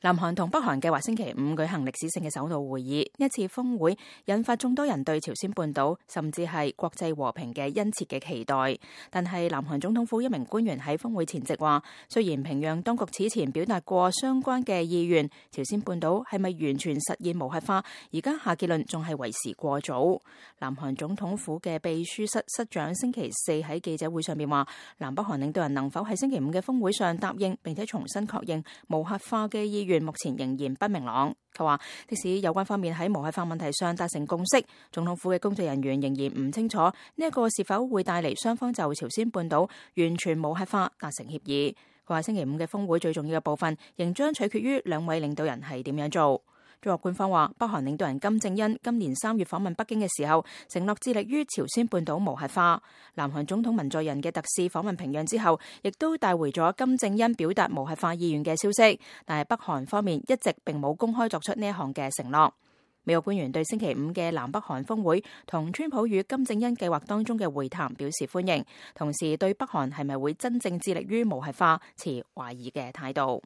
南韓同北韓計劃星期五舉行歷史性嘅首腦會議，一次峰會引發眾多人對朝鮮半島甚至係國際和平嘅殷切嘅期待。但係南韓總統府一名官員喺峰會前夕話，雖然平壤當局此前表達過相關嘅意願，朝鮮半島係咪完全實現無核化，而家下結論仲係為時過早。南韓總統府嘅秘書室室長星期四喺記者會上面話，南北韓領導人能否喺星期五嘅峰會上答應並且重新確認無核化嘅意願，目前仍然不明朗。佢話，即使有關方面喺無核化問題上達成共識，總統府嘅工作人員仍然唔清楚呢一個是否會帶嚟雙方就朝鮮半島完全無核化達成協議。佢話星期五嘅峰會最重要嘅部分仍將取決於兩位領導人係點樣做。中國官方話，北韓領導人金正恩今年3月訪問北京嘅時候，承諾致力於朝鮮半島無核化。南韓總統文在寅嘅特使訪問平壤之後，亦都帶回咗金正恩表達無核化意願嘅消息，但係北韓方面一直並冇公開作出呢一項嘅承諾。美國官員對星期五嘅南北韓峰會同川普與金正恩計劃當中嘅會談表示歡迎，同時對北韓係咪會真正致力於無核化持懷疑嘅態度。